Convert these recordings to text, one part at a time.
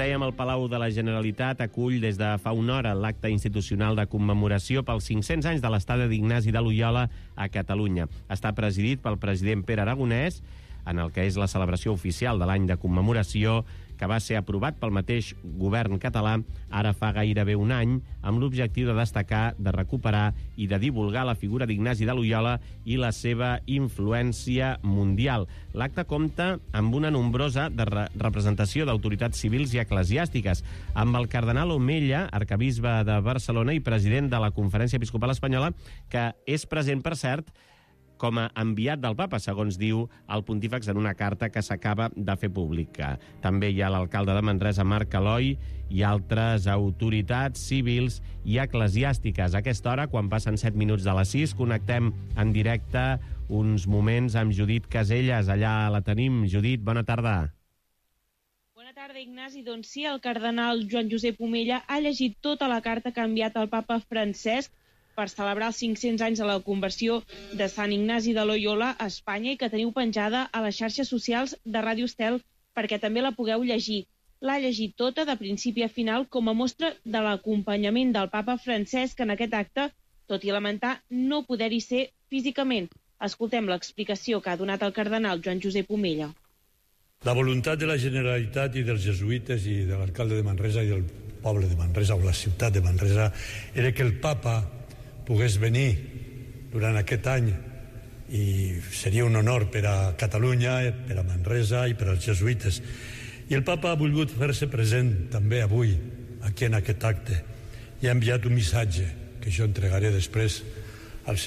dèiem, el Palau de la Generalitat acull des de fa una hora l'acte institucional de commemoració pels 500 anys de l'estada d'Ignasi de Loyola a Catalunya. Està presidit pel president Pere Aragonès, en el que és la celebració oficial de l'any de commemoració, que va ser aprovat pel mateix govern català ara fa gairebé un any, amb l'objectiu de destacar, de recuperar i de divulgar la figura d'Ignasi de Loyola i la seva influència mundial. L'acte compta amb una nombrosa representació d'autoritats civils i eclesiàstiques, amb el cardenal Omella, arcabisbe de Barcelona i president de la Conferència Episcopal Espanyola, que és present, per cert, com a enviat del papa, segons diu el pontífex en una carta que s'acaba de fer pública. També hi ha l'alcalde de Manresa, Marc Aloi, i altres autoritats civils i eclesiàstiques. A aquesta hora, quan passen 7 minuts de les 6, connectem en directe uns moments amb Judit Caselles. Allà la tenim. Judit, bona tarda. Bona tarda, Ignasi. Doncs sí, el cardenal Joan Josep Omella ha llegit tota la carta que ha enviat el papa Francesc per celebrar els 500 anys de la conversió de Sant Ignasi de Loyola a Espanya i que teniu penjada a les xarxes socials de Ràdio Estel perquè també la pugueu llegir. L'ha llegit tota, de principi a final, com a mostra de l'acompanyament del papa Francesc en aquest acte, tot i lamentar no poder-hi ser físicament. Escoltem l'explicació que ha donat el cardenal Joan Josep Omella. La voluntat de la Generalitat i dels jesuïtes i de l'alcalde de Manresa i del poble de Manresa o la ciutat de Manresa era que el papa pogués venir durant aquest any i seria un honor per a Catalunya, per a Manresa i per als jesuïtes. I el papa ha volgut fer-se present també avui aquí en aquest acte i ha enviat un missatge que jo entregaré després al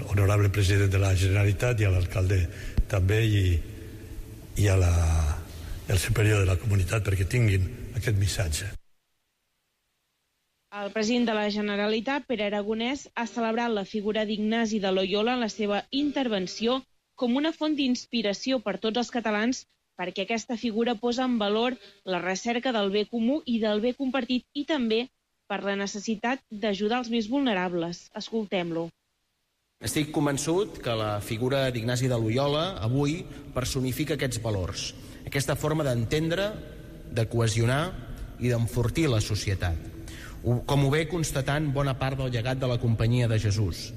honorable president de la Generalitat i a l'alcalde també i al superior de la comunitat perquè tinguin aquest missatge. El president de la Generalitat, Pere Aragonès, ha celebrat la figura d'Ignasi de Loyola en la seva intervenció com una font d'inspiració per tots els catalans perquè aquesta figura posa en valor la recerca del bé comú i del bé compartit i també per la necessitat d'ajudar els més vulnerables. Escoltem-lo. Estic convençut que la figura d'Ignasi de Loyola avui personifica aquests valors, aquesta forma d'entendre, de cohesionar i d'enfortir la societat, com ho ve constatant bona part del llegat de la Companyia de Jesús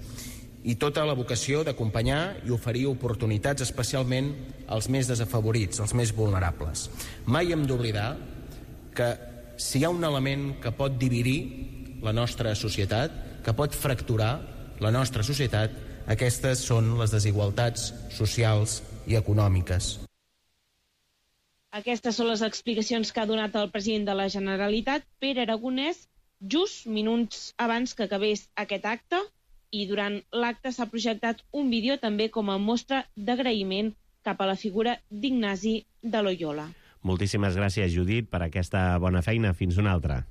i tota la vocació d'acompanyar i oferir oportunitats especialment als més desafavorits, als més vulnerables. Mai hem d'oblidar que si hi ha un element que pot dividir la nostra societat, que pot fracturar la nostra societat, aquestes són les desigualtats socials i econòmiques. Aquestes són les explicacions que ha donat el president de la Generalitat, Pere Aragonès, just minuts abans que acabés aquest acte, i durant l'acte s'ha projectat un vídeo també com a mostra d'agraïment cap a la figura d'Ignasi de Loyola. Moltíssimes gràcies, Judit, per aquesta bona feina. Fins una altra.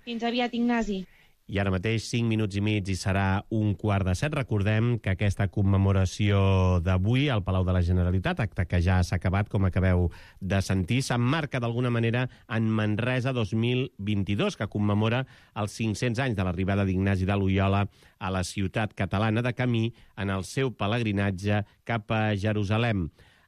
Fins aviat, Ignasi. I ara mateix 5 minuts i mig i serà 6:45. Recordem que aquesta commemoració d'avui al Palau de la Generalitat, acte que ja s'ha acabat, com acabeu de sentir, s'emmarca d'alguna manera en Manresa 2022, que commemora els 500 anys de l'arribada d'Ignasi de Loyola a la ciutat catalana, de camí en el seu pelegrinatge cap a Jerusalem.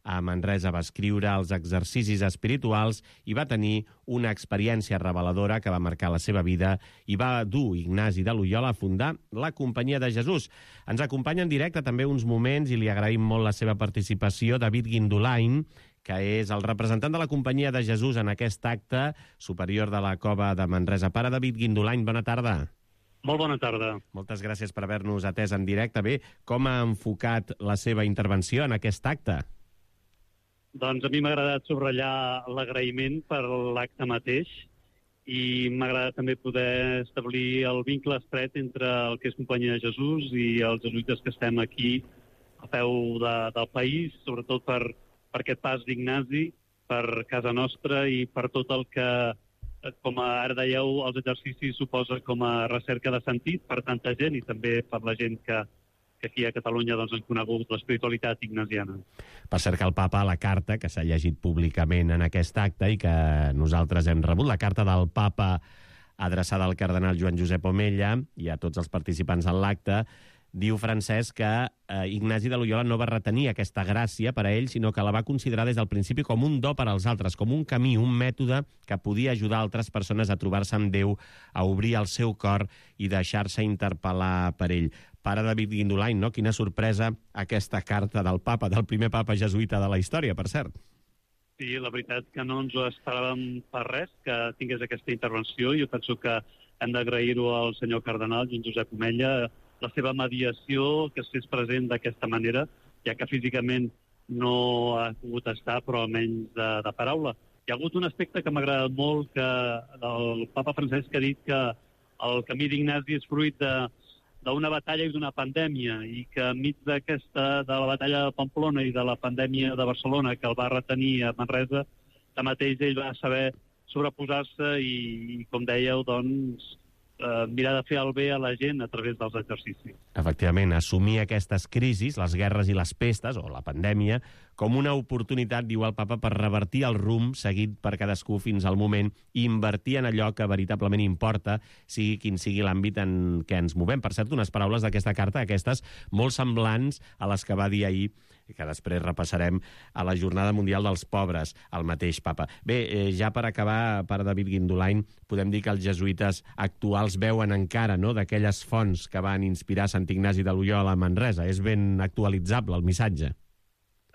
A Manresa va escriure els exercicis espirituals i va tenir una experiència reveladora que va marcar la seva vida i va dur Ignasi de Loyola a fundar la Companyia de Jesús. Ens acompanya en directe també uns moments i li agraïm molt la seva participació David Guindolain, que és el representant de la Companyia de Jesús en aquest acte superior de la Cova de Manresa. Pare David Guindolain, bona tarda. Molt bona tarda. Moltes gràcies per haver-nos atès en directe. Bé, com ha enfocat la seva intervenció en aquest acte? Doncs a mi m'ha agradat subratllar l'agraïment per l'acte mateix i m'ha agradat també poder establir el vincle estret entre el que és Companyia de Jesús i els jesuïtes que estem aquí a peu del país, sobretot per aquest pas d'Ignasi, per casa nostra i per tot el que, com ara dèieu, els exercicis suposa com a recerca de sentit per tanta gent i també per la gent que aquí a Catalunya doncs, han conegut l'espiritualitat ignasiana. Per cert que el papa, la carta que s'ha llegit públicament en aquest acte i que nosaltres hem rebut, la carta del papa adreçada al cardenal Joan Josep Omella i a tots els participants en l'acte, Diu Francesc que Ignasi de Loyola no va retenir aquesta gràcia per a ell, sinó que la va considerar des del principi com un do per als altres, com un camí, un mètode que podia ajudar altres persones a trobar-se amb Déu, a obrir el seu cor i deixar-se interpel·lar per ell. Pare David Guindolain, no? Quina sorpresa aquesta carta del papa, del primer papa jesuïta de la història, per cert. Sí, la veritat que no ens ho esperàvem per res, que tingués aquesta intervenció. Jo penso que hem d'agrair-ho al senyor cardenal Joan Josep Omella, la seva mediació, que es fes present d'aquesta manera, ja que físicament no ha pogut estar, però almenys de paraula. Hi ha hagut un aspecte que m'ha agradat molt, que el papa Francesc ha dit que el camí d'Ignasi és fruit d'una batalla i d'una pandèmia, i que enmig de la batalla de Pamplona i de la pandèmia de Barcelona, que el va retenir a Manresa, tanmateix ell va saber sobreposar-se i, com dèieu, doncs, mirar de fer el bé a la gent a través dels exercicis. Efectivament, assumir aquestes crisis, les guerres i les pestes, o la pandèmia, com una oportunitat, diu el papa, per revertir el rumb seguit per cadascú fins al moment i invertir en allò que veritablement importa, sigui quin sigui l'àmbit en què ens movem. Per cert, unes paraules d'aquesta carta, aquestes molt semblants a les que va dir ahir, que després repassarem, a la Jornada Mundial dels Pobres, el mateix papa. Bé, ja per acabar, pare David Guindolain, podem dir que els jesuïtes actuals veuen encara, no?, d'aquelles fonts que van inspirar Sant Ignasi de Loyola a Manresa. És ben actualitzable el missatge.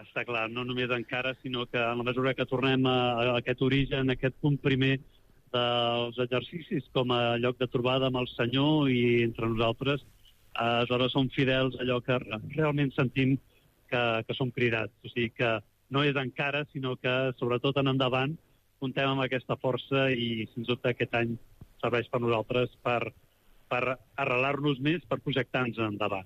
Està clar, no només encara, sinó que en la mesura que tornem a aquest origen, a aquest punt primer dels exercicis com a lloc de trobada amb el Senyor i entre nosaltres, aleshores som fidels a allò que realment sentim que som cridats. O sigui que no és encara, sinó que sobretot en endavant comptem amb aquesta força i, sens dubte, aquest any serveix per nosaltres per arrelar-nos més, per projectar-nos endavant.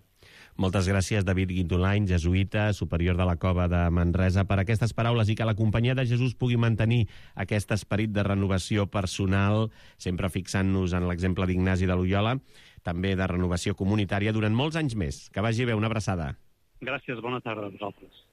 Moltes gràcies, David Guindolain, jesuïta, superior de la Cova de Manresa, per aquestes paraules i que la companyia de Jesús pugui mantenir aquest esperit de renovació personal, sempre fixant-nos en l'exemple d'Ignasi de Loyola, també de renovació comunitària durant molts anys més. Que vagi bé, una abraçada. Gràcies, bona tarda a vosaltres.